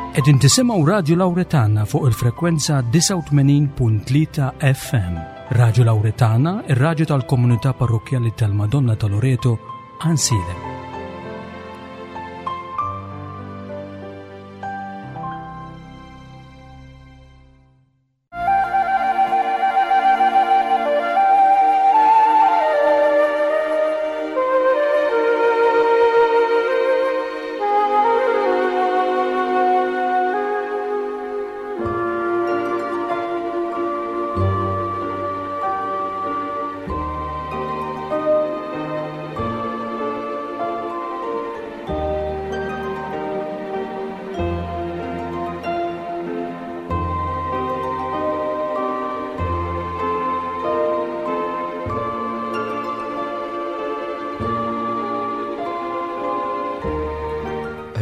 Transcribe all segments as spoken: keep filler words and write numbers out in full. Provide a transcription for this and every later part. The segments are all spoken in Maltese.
Qegħdin tisimgħu Radio Lauretana fuq il-frekwenza disgħa u tmenin punt tlieta F M. Radio Lauretana, ir-radju tal-Komunità Parrokkjali tal-Madonna ta' Loreto, Għajnsielem.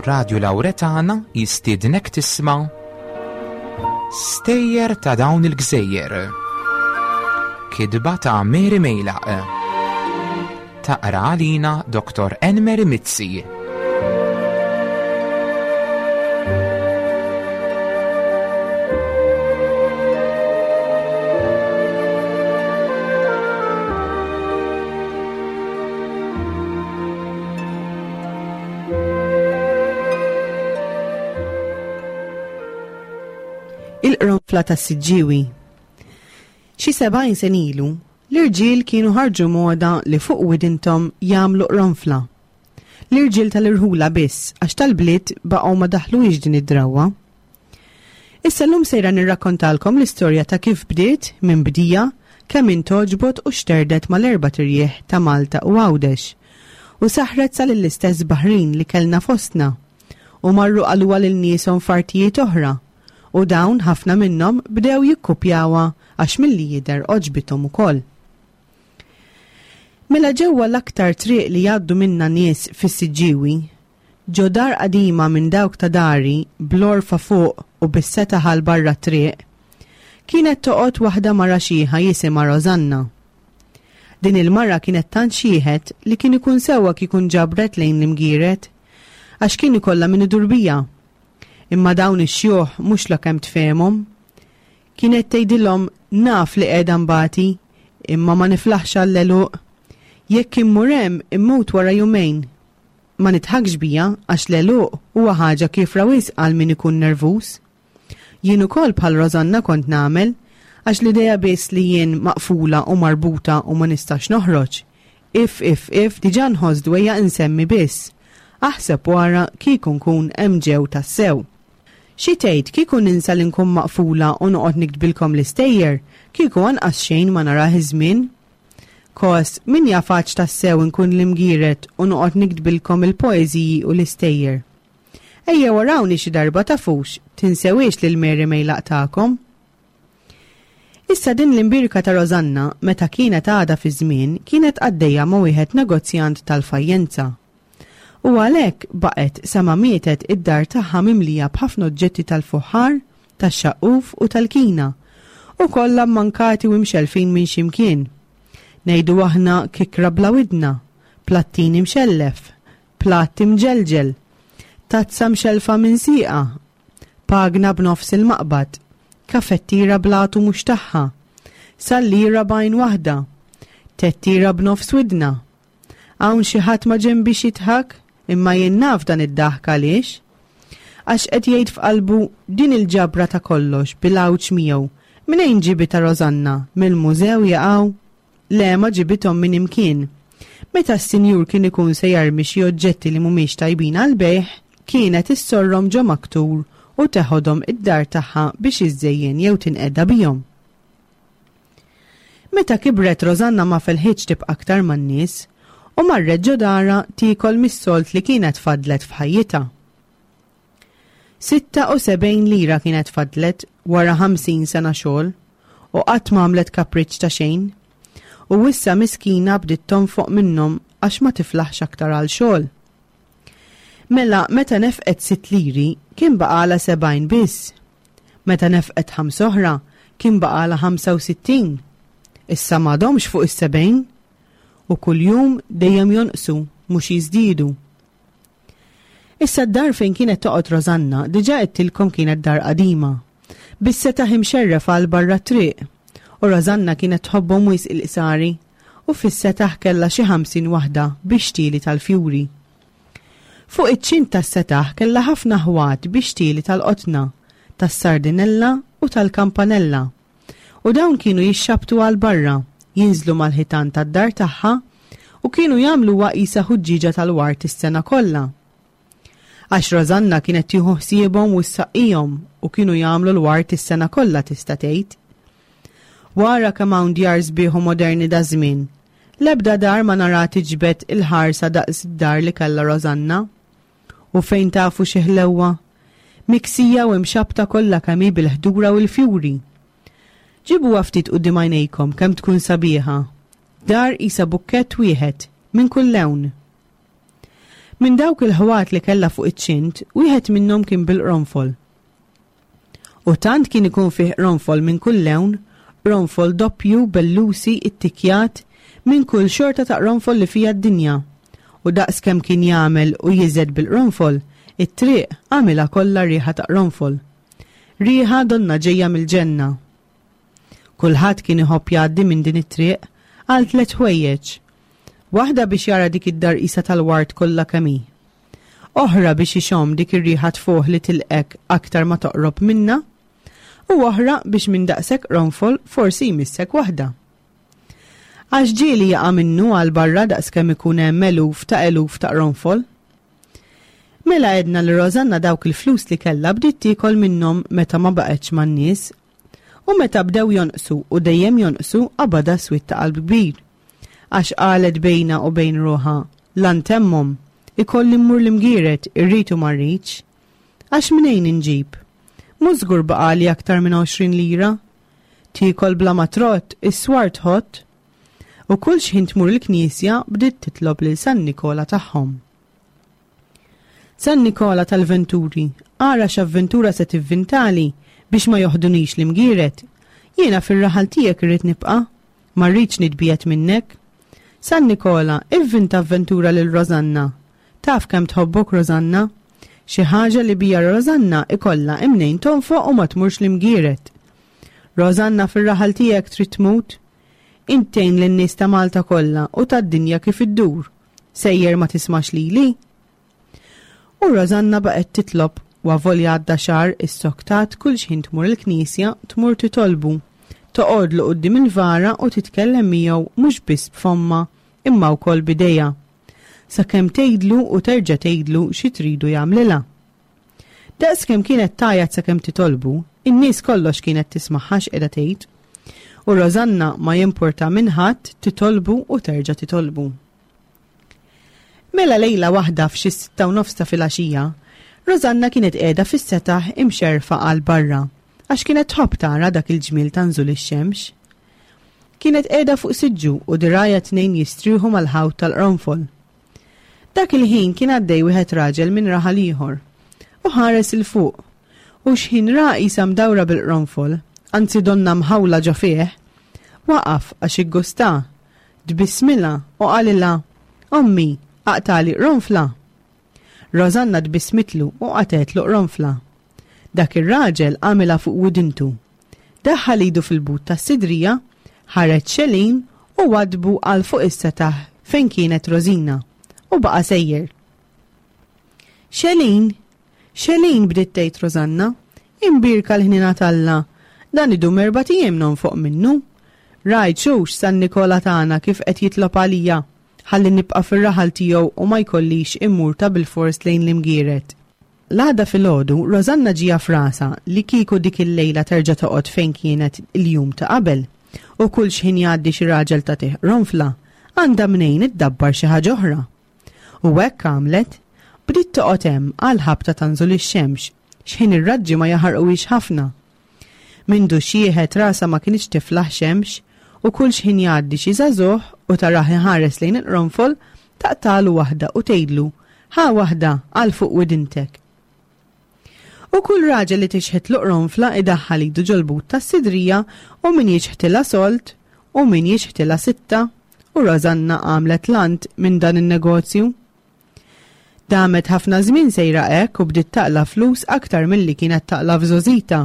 Radio Lauretana jistiednek tisma' Stejjer ta' dawn il-gżejjer. Kitba ta' Mary Mejlaq. Taqra għalina Doktor Enmeri Mizzi. Il-qronfla tas-Siġġiewi. Xi sebgħin sena ilu, l-irġiel kienu ħarġu moda li fuq widinthom jagħmlu qronfla. L-irġiel tal-irħula biss, għax tal-bliet baqgħu ma daħluhiex din id-drawwa. Issa llum sejra nirrakkontalkom l-istorja ta' kif bdiet, minn bdieha, kemm intgħoġbot u xterdet mal-erbat irjieħ ta' Malta u Għawdex. U saħret sa lill-istess baħrin li kellna fostna. U marru qaluha lil nieshom f'artijiet oħra. U dawn ħafna minnhom bdew jikkupjawha għax milli jidher għoġbithom ukoll. Mela ġewwa l-aktar triq li jgħaddu minna nies fis-Siġġiewi, ġo dar qadima minn dawk ta' dari bl-għorfa fuq u bis-setaħ għal barra triq, kienet toqgħod waħda mara xiħa jisimha Rosanna. Din il-mara kienet tant xieħet li kien ikun sewwa kieku nġabret lejn l-Imgieret, għax kien ikollha min idur biha. Imma dawn ix-xjuħ mhux la kemm tfehmhom. Kienet tgħidilhom: "Naf li qiegħda nbati, imma ma niflaħx għall-għeluq. Jekk immur hemm immut wara jumejn." Ma nidħakx biha għax l-għeluq huwa ħaġa kiefra wisq għal min ikun nervuż. Jien ukoll bħal Rosanna kont nagħmel, għax l-idea biss li jien maqfula u marbuta u ma nistax noħroġ. If, if, if, diġà nħoss dwejjaq insemmi biss. Aħseb wara kieku nkun hemm ġew tassew. Xi tgħid kieku ninsa li nkun maqfula u noqgħod niktbilkom l-istejjer, kieku anqas xejn ma narah iż-żmien? Kos, min jaf għadx tassew nkun l-Imgieret u noqgħod niktbilkom il-poeżiji u l-istejjer. Ejja warawni xi darba tafux, tinsewiex lil Mary Mejlaq tagħkom. Issa din l-imbierka ta' Rosanna, meta kienet għadha fi żmien, kienet għaddejja ma' wieħed negozjant tal-fajjenza. U għalhekk baqgħet sa ma mietet id-dar tagħha mimlija b'ħafna oġġetti tal-fuħħar, tax-xaqquf u tal-kina, u kollha mankati u mxelfin minn ximkien. Ngħidu aħna kikra bla widna, plattin imxellef, platt imġelġel, tazza mxelfa minn sieqa, pagna b'nofs il-maqbad, kafettira bl-għatu mhux tagħha, sallira b'għajn waħda, tettira b'nofs widna. Hawn xi ħadd ma ġenbix jidħak, imma jien naf dan id-daħk għaliex. Għax qed jgħid f'qalbu: din il-ġabra ta' kollox bil-għawġ miegħu, minejn ġibitha Rosanna, mill-mużew jaqgħu? Le, ma ġibithom minn imkien. Meta s-sinjur kien ikun se jarmi xi oġġetti li mhumiex tajbin għal bejgħ, kienet issorrom ġo maktur u teħodhom id-dar tagħha biex iżżejjen jew tinqeda bihom. Meta kibret Rosanna ma felħitx tibqa' aktar man-nies u marret ġo darha tiekol mis-sold li kienet fadlet f'ħajjitha. Sitta u sebgħin lira kienet fadlet wara ħamsin sena xogħol u qatt ma għamlet kapriċ ta' xejn. U issa miskina bdiet tonfoq minnhom għax ma tiflaħx aktar għal xogħol. Mela meta nefqet sitt liri kien baqala sebgħin biss. Meta nefqet ħams oħra kien baqala ħamsa u sittin. Issa m'għadhomx fuq is-sebgħin u kuljum dejjem jonqsu mhux jiżdiedu. Issa d-dar fejn kienet toqgħod Rosanna diġà għedtilkom kienet dar qadima. Bis-setaħ imxerref għal barra t-triq. U Rosanna kienet tħobbhom wisq il-qsari u fis-setaħ kellha xi ħamsin waħda bi xtieli tal-fjuri. Fuq iċ-ċint tas-setaħ kellha ħafna ħwat bi xtieli tal-qotna, tas-sardinella u tal-kampanella. U dawn kienu jixxabtu għal barra, jinżlu mal-ħitan tad-dar tagħha u kienu jagħmluha qisha ħuġġieġa tal-ward is-sena kollha. Għax Rosanna kienet tieħu ħsiebhom u ssaqqihom u kienu jagħmlu l-ward is-sena kollha tista' tgħid. Wara kemm hawn djar sbieħ u moderni daż-żmien, l-ebda dar ma nara tiġbed il-ħarsa daqs id-dar li kellha Rosanna. U fejn tafu xi ħlewwa? Miksija u imxabbta kollha kemm hi bil-ħdura u l-fjuri. Ġibuha ftit quddiem għajnejkom kemm tkun sabiħa. Dar qisha bukkett wieħed minn kull lewn. Minn dawk il-ħwat li kellha fuq iċ-ċint, wieħed minnhom kien bil-qronfol. U tant kien ikun fih qronfol minn kull lewn, qronfol doppju, bellusi, ittikjat, minn kull xorta ta' qronfol li fiha d-dinja. U daqs kemm kien jagħmel u jiżed bil-qronfol, it-triq għamilha kollha riħa ta' qronfol. Riħa donnha ġejja mill-ġenna. Kulħadd kien iħobb jgħaddi minn din it-triq għal tliet ħwejjeġ. Waħda biex jara dik id-dar qisha tal-ward kollha kemm hi. Oħra biex ixomm dik ir-riħa tfuħ li tilqek aktar ma toqrob minnha. U oħra biex minn daqshekk qronfol forsi jmissek waħda. Għax ġieli jaqa' minnu għal barra daqs kemm ikun hemm eluf ta' eluf ta' qronfol. Mela għedna li Rosanna dawk il-flus li kellha bdiet tiekol minnhom meta ma baqgħetx man-nies. U meta bdew jonqsu u dejjem jonqsu qabadha swied ta' qalb kbir. Għax qalet bejna u bejn ruħha, la ntemmhom, ikolli mmur l-Imgieret, irrid u ma rridx. Għax mnejn inġib? Mhux żgur baqali aktar minn għoxrin lira. Tiekol bla ma trott, is-swar tħott. U kull xħin tmur il-knisja bdiet titlob lil San Nikola tagħhom. San Nikola tal-Venturi, ara x'avventura se tivvintali biex ma joħdunix l-Imgieret. Jiena fir-raħal tiegħek irrid nibqa', ma rridx nitbiegħed minnek. San Nikola, ivvinta avventura lil Rosanna. Taf kemm tħobbok Rosanna? Xi ħaġa li bija Rosanna ikollha imnejn tonfoq u ma tmurx l-Imgieret. Rosanna fir-raħal tiegħek trid tmut? Int tgħin lin-nies ta' Malta kollha u tad-dinja kif iddur. Sejjer ma tismax lili? U Rosanna baqgħet titlob u avolja għadda xahar issoktat kull xħin tmur il-knisja tmur titolbu. Toqgħodlu quddiem il-vara u titkellem miegħu mhux biss b'fomma imma wkoll b'idejha. Sakemm tgħidlu u terġa' tgħidlu xi tridu jagħmlilha. Daqs kemm kienet tgħajjat sakemm titolbu, in-nies kollox kienet tismagħha x'qiegħda tgħid. U Rosanna ma jimpurta minn ħadd titolbu u terġa' titolbu. Mela lejla waħda f'xi sitta u nofs ta' filgħaxija, Rosanna kienet qiegħda fis-setaħ imxerfa għal barra, għax kienet tħobb tara dak il-ġmiel ta' nżul ix-xemx. Kienet qiegħda fuq siġġu u dirgħajha tnejn jistrieħu mal-ħawt tal-qronfol. Dak il-ħin kien għaddej wieħed raġel minn raħal ieħor u ħares 'il fuq, u x'ħin ra qisha mdawra bil-qronfol, anzi donna mħawla ġo fih, waqaf għax iggustha, tbissmilha u qalilha, Ommi, aqtali qronfla. Rosanna tbissmitlu u qatgħetlu qronfla. Dak ir-raġel għamilha fuq widintu. Daħħal idu fil-but tas-sidrija, ħareġ xelin u wadbu għal fuq is-setaħ fejn kienet Rosina u baqa' sejjer. Xelin, xelin bdiet tgħid Rosanna, imbierka l-ħniena t'Alla, dan idum erbat ijiem nonfoq minnu. Rajt xux San Nikola tagħna kif qed jitlob għalija, ħalli nibqa' fir-raħal tiegħu u ma jkollix immur ta' bilfors lejn l-Imgieret. L-għada filgħodu, Rosanna ġieha f'rasha li kieku dik il-lejla terġa' toqgħod fejn kienet il-jum ta' qabel, u kull xħin jgħaddi xi raġel tagħtih qronfla, għandha mnejn iddabbar xi ħaġa oħra. U hekk għamlet, bdiet toqgħod hemm għal ħabta ta' nżul ix-xemx, xħin ir-raġġi ma jaħarquhiex ħafna. Mindu xieħet rasha ma kinitx tiflaħ xemx, u kull xħin jgħaddi xi żagħżugħ u tarah iħares lejn il-qronfol, taqtalu waħda u tgħidlu, ħa waħda għal fuq widintek. U kull raġel li tixħetlu qronfla idaħħal idu ġol-but tas-sidrija u min jixħtilha solt u min jixħtilha sitta, u Rosanna għamlet lant minn dan in-negozju. Damet ħafna żmien sejra hekk u bdiet taqla' flus aktar milli kienet taqla' f'żgħożitha.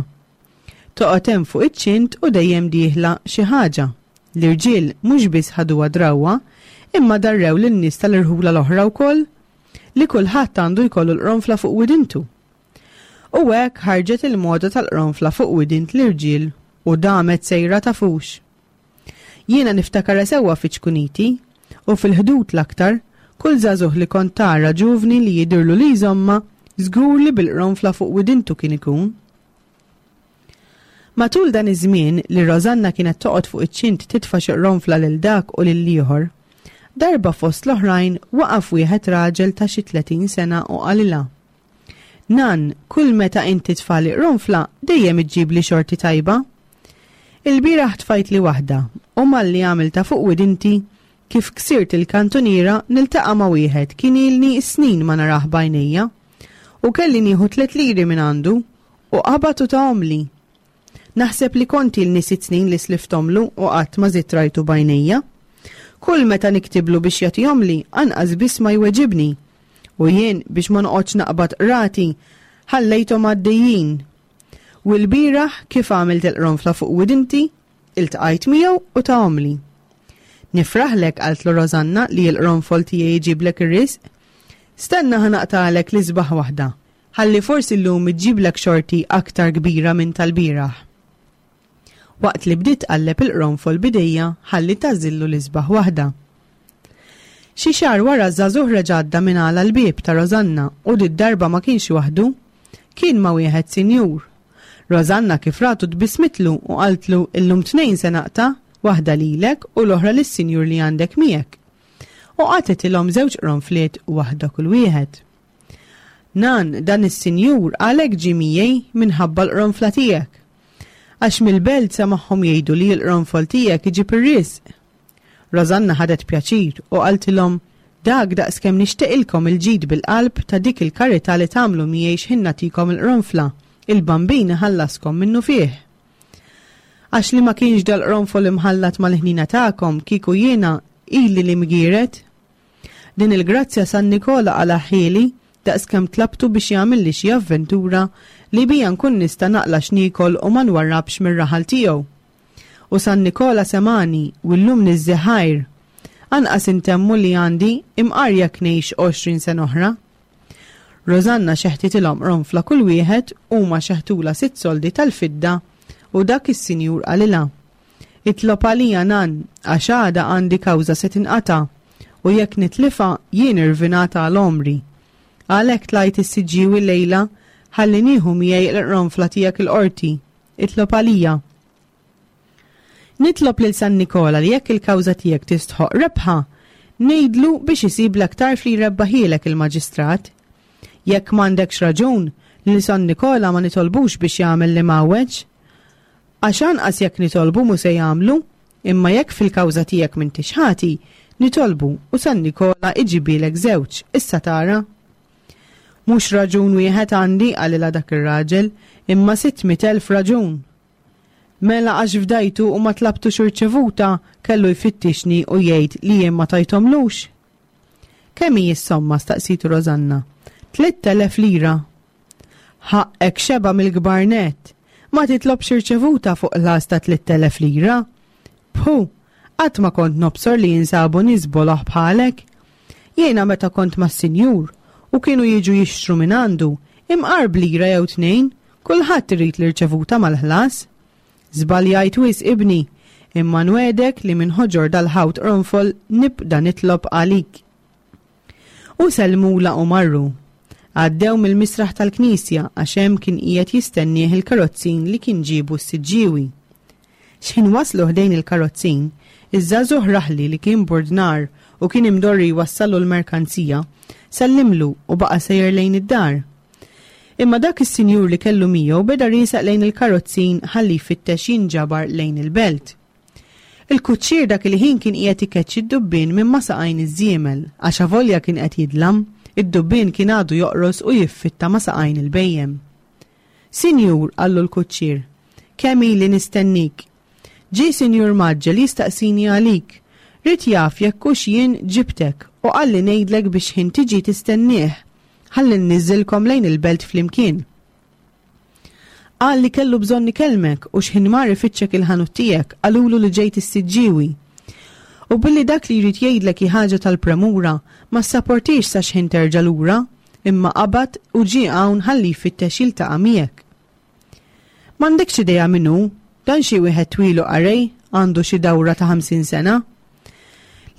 Toqgħod hemm fuq iċ-ċint u dejjem dieħla xi ħaġa. L-irġiel mhux biss ħaduha drawwa, imma darrew lin-nies tal-irħula l-oħra wkoll li kulħadd għandu jkollu l-qronfla fuq widintu. U hekk ħarġet il-moda tal-qronfla fuq widint l-irġiel u damet sejra tafux. Jiena niftakarha sewwa fi ċkuniti u fil-Ħdud l-aktar, kull żagħżugħ li kont tara ġuvni li jidhirlu li jżommha, żgur li bil-qronfla fuq widintu kien ikun. Matul dan iż-żmien li Rosanna kienet toqgħod fuq iċ-ċint titfa' xi qronfla lil dak u lil ieħor, darba fost l-oħrajn waqaf wieħed raġel ta' xi tletin sena u qalilha, Nan, kull meta inti tfali qronfla dejjem iġġibli xorti tajba. Il-bieraħ tfajtli waħda u malli għamilta fuq widinti kif ksirt il-kantuniera niltaqa' ma' wieħed kien ilni snin ma narah b'għajnejja u kelli nieħu tliet liri minn għandu u qabad u tahomli. Naħseb li kont ilni sitt snin li slifthomlu u qatt ma żidt rajtu b'għajnejja. Kull meta niktiblu biex jagħtihomli anqas biss ma jweġibni. U jien biex ma noqgħodx naqbad qrati ħallejthom għaddejjin. U l-bieraħ kif għamilt il-qronfla fuq widinti, iltqajt miegħu u tahomli. Nifraħlek, qaltlu Rosanna, li l-qronfol tiegħi jġiblek ir-risq. Stenna ħa naqtagħlek l-isbaħ waħda, ħalli forsi llum iġġiblek xorti aktar kbira minn tal-bieraħ. Waqt li bdiet tqalleb il-qronfol b'idejja ħalli tagħżillu l-isbaħ waħda. Xi xahar wara ż-żagħżugħ reġa' għadda minn għala l-bieb ta' Rosanna u did-darba ma kienx waħdu, kien ma' wieħed sinjur. Rosanna kif ratu tbissmitlu u qaltlu illum tnejn se naqta', waħda lilek u l-oħra lis-sinjur li għandek miegħek. U qatgħetilhom żewġ qronfliet waħda kull wieħed. Nan, dan is-sinjur għalhekk ġie miegħi minħabba l-qronfla tiegħek. Għax mill-belt samagħhom jgħidu li l-qronfol tiegħek iġib ir-risq. Rosanna ħadet pjaċir u qaltilhom dak daqskemm nixtieqilkom il-ġid bil-qalb ta' dik il-karità li tagħmlu miegħi x'ħin nagħtikom il-qronfla, il-bambin iħallaskom minnu fih. Għax li ma kienx dal-qronfol imħallat mal-ħnina tagħkom kieku jiena ili li mgiret. Din il-grazzja San Nikola qalagħhieli daqskemm tlabtu biex jagħmilli xi avventura li bija nkun nista' naqla x'niekol u ma nwarrabx mir-raħal tiegħu. U San Nikola semani u llum niżżi ħajr. Anqas intemmu li għandi imqar jekk ngħix għoxrin sena oħra. Rosanna xeħtitilhom qronfla kull wieħed u ma xeħtula sitt soldi tal-fidda u dak is-sinjur qalilha. Itlob għalija nan għax għada għandi kawża se tinqata' u jekk nitlifa jien irvinata għal għomri. Għalhekk tlajt is-Siġġiewi lejla ħalli nieħu miegħi l-qronfla tiegħek il-qorti. Itlob għalija. Nitlob lil San Nikola li jekk il-kawża tiegħek tistħoq rebħa, ngħidlu biex isiblek tarf li jrebbaħielek il-maġistrat. Jekk m'għandekx raġun, lil San Nikola ma nitolbux biex jagħmel li mawweġ. Għax anqas jekk nitolbu mhu se jagħmlu, imma jekk fil-kawża tiegħek m'intix ħati, nitolbu u San Nikola iġibilek żewġ, issa tara. Mhux raġun wieħed għandi, qalilha dak ir-raġel, imma sitt mitt elf raġun. Mela għax fdajtu u ma tlabtux irċevuta, kellu jfittixni u jgħid li jien ma tajtomlux. Kemm hi s-somma? Staqsitu Rosanna. Tliet elef lira. Ħaqqek xeba mill-kbar nett. Ma titlobx irċevuta fuq ħlas ta' tliet elef lira. Phu, qatt ma kont nobsor li jinsabu nies boloh bħalek. Jiena meta kont mas-sinjur u kienu jiġu jixtru minn għandu, imqar b'lira jew tnejn, kulħadd irid l-irċevuta mal-ħlas. Żbaljajt wisq ibni, imma nwedek li minn ħoġor dal-ħawt qronfol nibda nitlob għalik. U sellmula u marru. Għaddew mill-misraħ tal-knisja għax hemm kien qiegħed jistennieh il-karozzin li kien ġiebu s-Siġġiewi. X'ħin waslu ħdejn il-karozzin, iż-żagħżugħ raħli li kien burdnar u kien imdorri jwassallu l-merkanzija, sellimlu u baqa' sejjer lejn id-dar. Imma dak is-sinjur li kellu miegħu beda riesaq lejn il-karozzin ħalli jfittex jinġabar lejn il-belt. Il-kuċċier dak il-ħin kien qiegħed ikeċċi d-dubbien minn ma saqajn iż-żiemel, għax avolja kien qed jidlam, id-dubbien kien għadu joqros u jiffitta ma saqajn il-bejjem. Sinjur, qallu l-kuċċier, kemm ili nistennik. Ġie sinjur maġġel jistaqsini għalik. Rid jaf jekk hux jien ġibtek u qalli ngħidlek biex ħin tiġi tistennieh. ħalli nniżżilkom lejn il-belt flimkien. Qal li kellu bżonn ikellmek u x'ħin mar ifittxek il-ħanut tiegħek qalulu li ġejt is-Siġġiewi. U billi dak li jrid jgħidlek hi ħaġa tal-premura, ma ssaportiex sa x'ħin terġa' lura, imma qabad u ġie hawn ħalli jfittex jiltaqa' miegħek. M'għandekx idea min hu, dan xi wieħed twil u qarej, għandu xi dawra ta' ħamsin sena.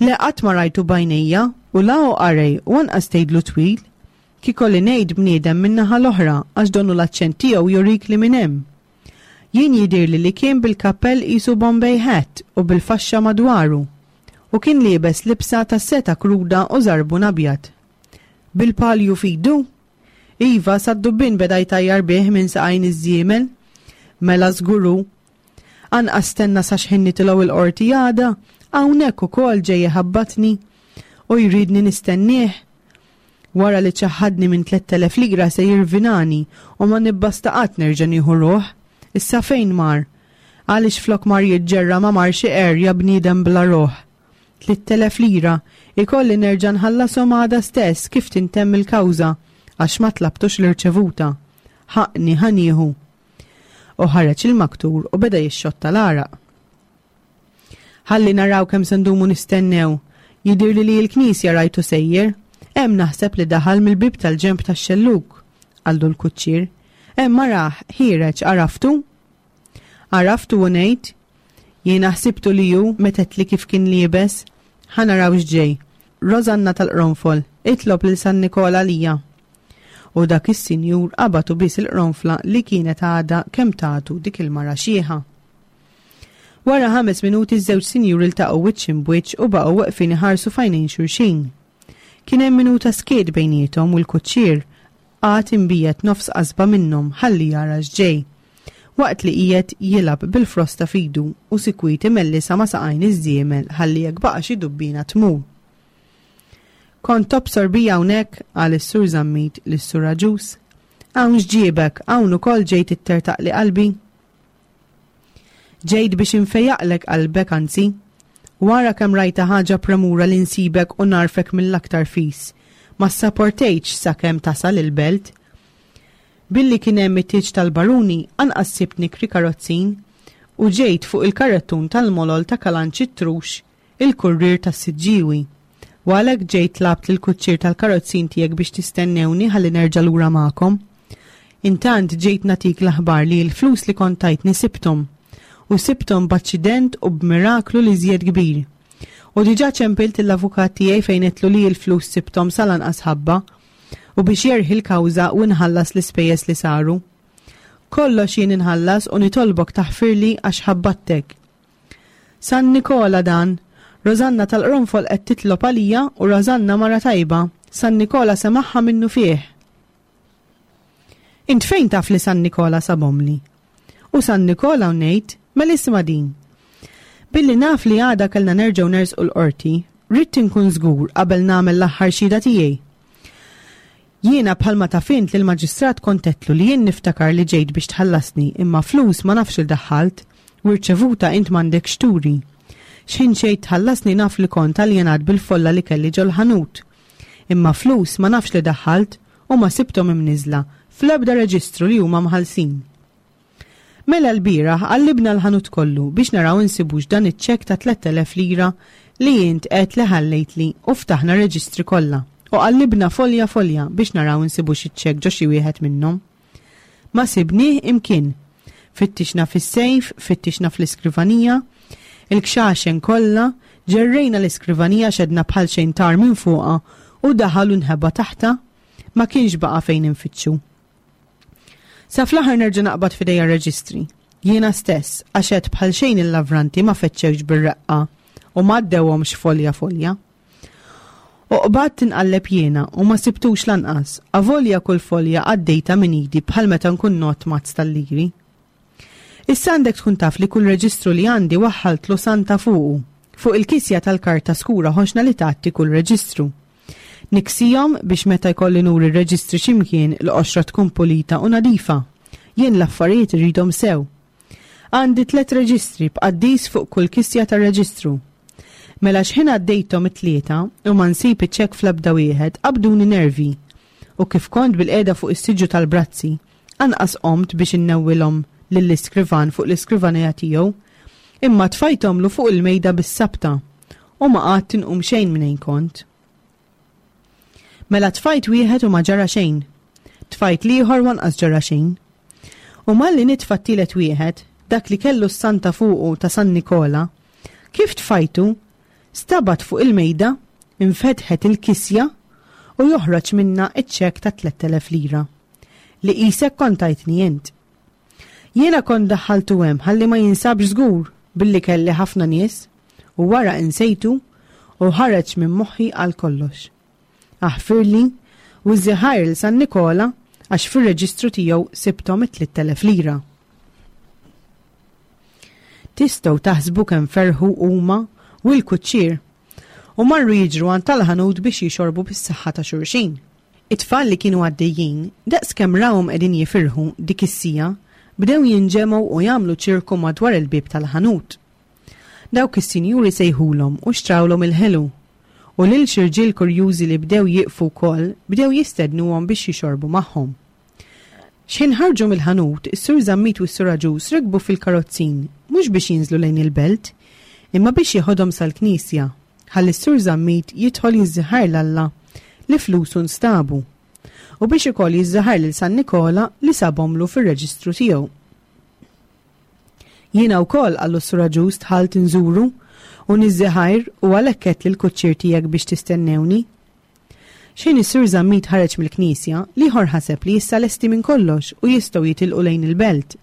Le qatt ma rajtu b'għajnejja u la hu qarej u anqas tgħidlu twil. Kiekolli ngħid bniedem min-naħa l-oħra għax donnu l-aċċent tiegħu jurik li minn hemm. Jien jidhirli li kien bil-kappell qisu Bombay hat u bil-faxxa madwaru. U kien liebes libsa ta' seta kruda u żarbun abjad. Bil-palju f'idu? Iva, sad-dubbien beda jtajjar bih minn saqajn iż-żiemel. Mela żgur hu. Anqas stenna sa x'ħin nitilgħu il-qorti għada, hawnhekk ukoll ġej iħabbatni u jridni nistennieh. Wara li ċaħħadni minn tlett elef lira se jirvinani u ma nibbasta qatt nerġa' nieħu ruħ. Issa fejn mar? Għaliex flok mar jiġġerra ma marx iqerr ja bniedem bla ruħ? Tlitt elef lira, ikolli nerġa' nħallashom għada stess kif tintemm il-kawża għax ma tlabtux l-irċevuta. Ħaqqni ħa nieħu. U ħareġ il-maktur u beda jixxotta l-għaraq. Ħalli naraw kemm se ndumu nistennew. Jidhirli li l-knisja rajtu sejjer. Hemm naħseb li daħal mill-bieb tal-ġenb tax-xellug, qallu l-kuċċier. Hemm arah, ħiereġ, għaraftu? Għaraftu u ngħid, jiena ħsibtu li hu meta għedtli kif kien liebes. Ħa naraw x'ġej. Rosanna tal-Qronfol, itlob lil San Nikola għalija. U dak is-sinjur qabad u bies il-qronfla li kienet għadha kemm tagħtu dik il-mara xieħa. Wara ħames minuti ż-żewġ sinjuri ltaqgħu wiċċ imbwiċċ u baqgħu weqfin iħarsu f'għajnejn xulxin. Kien hemm minuta skiet bejniethom u l-kuċċier qagħad imbiegħed nofs qasba minnhom ħalli jara x'ġej, waqt li qiegħed jilgħab bil-frosta f'idu u sikwit imellisha ma' saqajn iż-żiemel ħalli jekk baqa' xi dubbina tmur. Kont tobsor bija hawnhekk, qal is-Sur Zammit lis-Sur Agius. Hawn x'ġiebek, hawn ukoll ġejt ittertaqli qalbi? Ġejt biex infejjaqlek qalbek anzi. Wara kemm rajta ħaġa premura li nsibek u narfek mill-aktar fis. Ma ssaportejtx sakemm tasal il-belt. Billi kien hemm it-tieġ tal-baruni, anqas sibt nikri karozzin u ġejt fuq il-karrettun tal-molol ta' Kalanċi Trux, il-kurrier tas-Siġġiewi. U għalhekk ġejt tlabt lill-kuċċier tal-karozzin tiegħek biex tistennewni ħalli nerġa' lura magħkom. Intant ġejt nagħtik l-aħbar li l-flus li kont tajtni sibthom. U sibthom b'aċċident u b'miraklu li żjed kbir. U diġà ċempilt l-avukat tiegħi fejn għedtlu li l-flus sibthom sal-anqas ħabba u biex jerħi l-kawża u nħallas l-ispejjeż li saru. Kollox jien inħallas u nitolbok taħfirli għax ħabbattek. San Nikola dan, Rosanna tal-Qronfol qed titlob għalija u Rosanna mara tajba, San Nikola semaħħa minnu fih. Int fejn taf li San Nikola sabomli? U San Nikola u ngħid, mela isma' din. Billi naf li għada kellna nerġgħu nersqu l-qorti, ridt inkun żgur qabel nagħmel l-aħħar xhieda tiegħi. Jiena bħalma taf int li l-maġistrat kont għedtlu li jien niftakar li ġejt biex tħallasni imma flus ma nafx il daħħalt u rċevuta int m'għandekx turi. X'ħin ġejt tħallasni naf li kont aljenat bil-folla li kelli ġol-ħanut. Imma flus ma nafx li daħħalt u ma sibthom imniżla fl-ebda reġistru li huma mħallsin. Mela l-bieraħ qallibna l-ħanut kollu biex naraw insibux dan iċ-ċekk ta' tlett elef lira li int għedt li ħallejtli u ftaħna reġistri kollha u qallibna folja folja biex naraw insibux iċ-ċekk ġo xi wieħed minnhom. Ma sibnieh imkien. Fittixna fis-sejf, fittixna fl-iskrivanija, il-kxaxen kollha, ġerrejna l-iskrivanija xedna bħal xejn tar minn fuqha u daħal u nħeba taħta, ma kienx baqa' fejn infittxu. Sa fl-aħħar nerġa' naqbad f'idejja r-reġistri. Jiena stess, għax għedt bħal xejn il-lavranti ma fettxewx bir-reqqa u ma għaddewhomx folja folja. U qbadt tinqalleb jiena u ma sibtux lanqas, avolja kull folja għaddejta minn idi bħal meta nkun ngħodd mazz tal-liri. Issa għandek tkun taf li kull reġistru li għandi waħħaltlu santa fuqu, fuq il-kisja tal-karta skura ħoxna li tgħatti kull reġistru. Niksihom biex meta jkolli nuri r-reġistri x'imkien l-qoxra tkun pulita u nadifa. Jien l-affarijiet irridhom sew. Għandi tliet reġistri b'qaddis fuq kull kisja tar-reġistru. Mela x'ħin għaddejthom it-tlieta u ma nsib iċ-ċekk fl-ebda wieħed, qabduni nervi. U kif kont bilqiegħda fuq is-siġġu tal-brazzi, anqas qomt biex innewwilhom lill-iskrivan fuq l-iskrivanija tiegħu, imma tfajthomlu fuq il-mejda bis-sabta u ma qgħadt inqum xejn minn fejn kont. Mela tfajt wieħed u ma ġara xejn. Tfajt l-ieħor u anqas ġara xejn. U malli nitfa' t-tielet wieħed, dak li kellu s-santa fuqu ta' San Nikola, kif tfajtu, stabat fuq il-mejda, infetħet il-kisja u joħroġ minna iċ-ċekk ta' tlett elef lira. Li qisek kont tajtni int. Jiena kont daħħaltu hemm ħalli ma jinsabx żgur billi kelli ħafna nies u wara insejtu u ħareġ minn moħħi għal kollox. Aħfirli u żiħajr lil San Nikola għax fir-reġistru tiegħu sibthom it-tliet elef lira. Tistgħu taħsbu kemm ferħu huma u l-kuċċier u marru jiġru għand tal-ħanut biex jixorbu bis-saħħa ta' xulxin. It-tfal li kienu għaddejjin, daqs kemm rawhom qegħdin jifirħu dik is-sija, bdew jinġemgħu u jagħmlu ċirku madwar il-bieb tal-ħanut. Dawk is-sinjuri sejħulhom u xtrawlhom il-ħelu. U lil xi rġiel kurjużi li bdew jieqfu wkoll bdew jistednuhom biex jixorbu magħhom. X'ħin ħarġu mill-ħanut, is-Sur Zammit u s-Sur Agius rikbu fil-karozzin, mhux biex jinżlu lejn il-belt, imma biex jeħodhom sal-knisja, ħalli s-Sur Zammit jidħol jiżżiħar 'l Alla li flusu nstabu, u biex ukoll jiżżiħar lil San Nikola li sabhomlu fir-reġistru tiegħu. Jiena wkoll, qallu s-Sur Agius, dħalt inżuru u niżżiħajr u għalhekk għedt lill-kuċċier tiegħek biex tistennewni. Xejn is-Sur Zammit ħareġ mill-knisja, l-ieħor ħaseb li issa lesti minn kollox u jistgħu jitilqu lejn il-belt.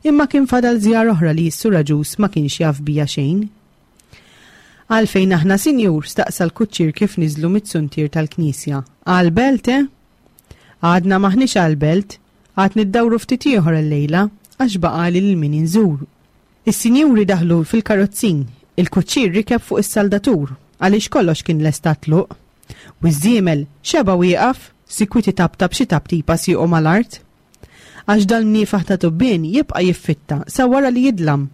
Imma kien fadal żjar oħra li s-Sur Agius ma kienx jaf bija xejn. Għalfejn aħna, sinjur, staqsa l-kuċċier kif niżlu mit-suntier tal-knisja. Għal-belt, eh? Għadna maħniex għal-belt, għad niddawru ftit ieħor illejla għax baqali lil min inżur. Is-sinjuri daħlu fil-karozzin, il-kuċċier rikeb fuq is-saldatur għaliex kollox kien lest għat-tluq. U ż-żiemel xeba wieqaf, sikwiti tabtab xi tabtipa siequ mal-art. Għax dal-mniefaħ ta' tubbien jibqa' jiffitta sa wara li jidlam,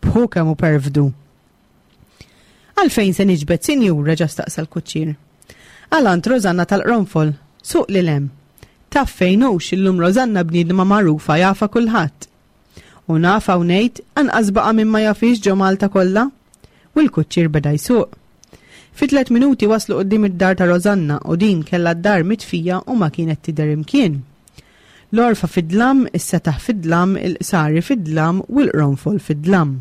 bħu kemm hu perfdu. Għalfejn se niġbed, sinjur, reġa' staqsa l-kuċċier. Għal għand Rosanna tal-Qronfol, suq lil hemm. Taf fejn hux illum Rosanna bniedma magħrufa jafa kulħadd. U naf hawn ngħid anqas baqa' min ma jafix ġo Malta kollha. U l-kuċċier beda jsuq. Fi tliet minuti waslu quddiem id-dar ta' Rosanna u din kellha d-dar mitfija u ma kienet tidher imkien. L-orfa fid-dlam, is-setaħ fid-dlam, il-qsari fid-dlam u l-qronfol fid-dlam.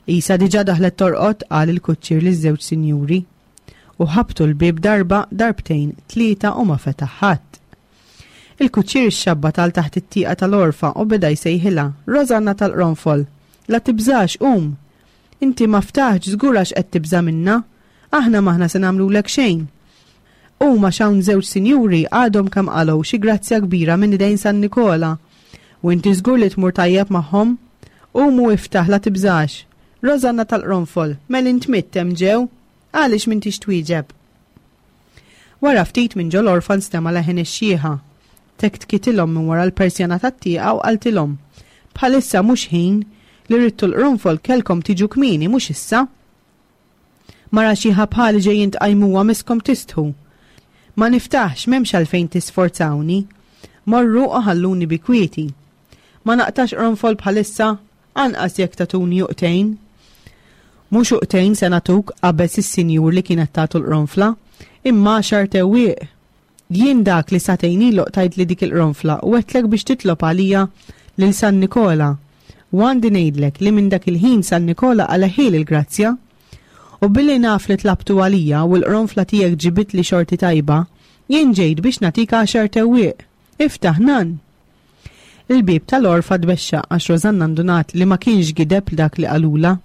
Isa diġà daħlet torqod, qal il-kuċċier liż-żewġ sinjuri. U ħabtu l-bieb darba, darbtejn, tlieta u ma fetaħ ħadd. Il-kuċċier ixxabbat għal taħt it-tieqa tal-orfa u beda jsejħilha, Rosanna tal-Qronfol, la tibżax, qum! Inti ma ftaħx żgur għax qed tibża' minna, aħna m'aħna se nagħmlulek xejn. Huma x'hawn żewġ sinjuri għadhom kemm qalgħu xi grazzja kbira minn idejn San Nikola. U inti żgur li tmur tajjeb magħhom. Qum u iftaħ la tibżax. Rosanna tal-Qronfol, mel int mitt hemm ġew, għaliex m'intix twieġeb? Wara ftit minn ġol orfa nstema' leħen ix-xieħa. Tektkitilhom minn wara l-persjana tat-tieqa u qaltilhom, Bħalissa mhux ħin li ridtu l-qronfol kellkom tiġu kmieni mhux issa. Mara xieħa bħali ġejjin tqajmuha miskom tistħu. Ma niftaħx, m'hemmx għalfejn tisforzawni. Morru u ħalluni bi kwieti. Ma naqtax qronfol bħalissa, anqas jekk tagħtuni uqtejn. Mhux uqtejn se nagħtuk, qabeż is-sinjur li kienet tagħtu l-qronfla, imma għaxar tewwieq. Jien dak li sagħtejn ilu qtajtli dik il-qronfla u għedtlek biex titlob għalija lil San Nikola. U għandi ngħidlek li minn dak il-ħin San Nikola qaleħieli l-grazzja. U billi naf li tlabtu għalija u l-qronfla tiegħek ġibitli xorti tajba, jien ġejt biex nagħtik għaxar tewwieq. Iftaħ nan. Il-bieb tal-orfa tbexxaq għax Rosanna ndunat li ma kienx gideb dak li qalula.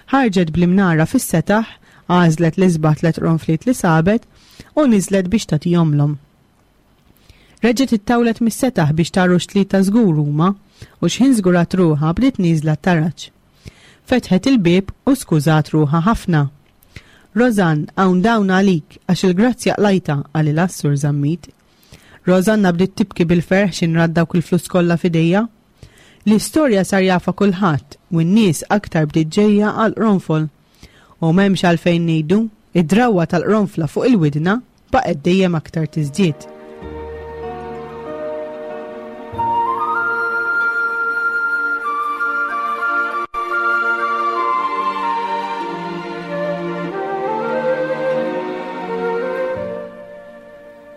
Ħarġet bl-imnara fis-setaħ, għażlet l-isbaħ tliet qronfliet li sabet u niżlet biex tagħtihomlhom. Reġgħet ittawlet mis-setaħ biex tara tlieta żgur huma u x'ħin żgurat ruħha bdiet nieżla t-taraġ. Fetħet il-bieb u skużat ruħha ħafna. Rosann, hawn dawn għalik għax il-grazzja qlajta, qalilha s-Sur Zammit. Rosanna bdiet tibki bil-ferħ x'in rat dawk il-flus kollha f'idejha. L-istorja sar jafa kulħadd u n-nies aktar bdiet ġejja għal qronfol. U m'hemmx għalfejn ngħidu, id-drawwa tal-qronfla fuq il-widna baqgħet dejjem aktar tiżdied.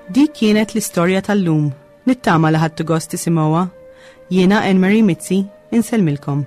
Dik kienet l-istorja tal-lum. Nittama li ħadtu gost tisimgħuha. Jiena Anne Marie Mizzi, insellmilkom.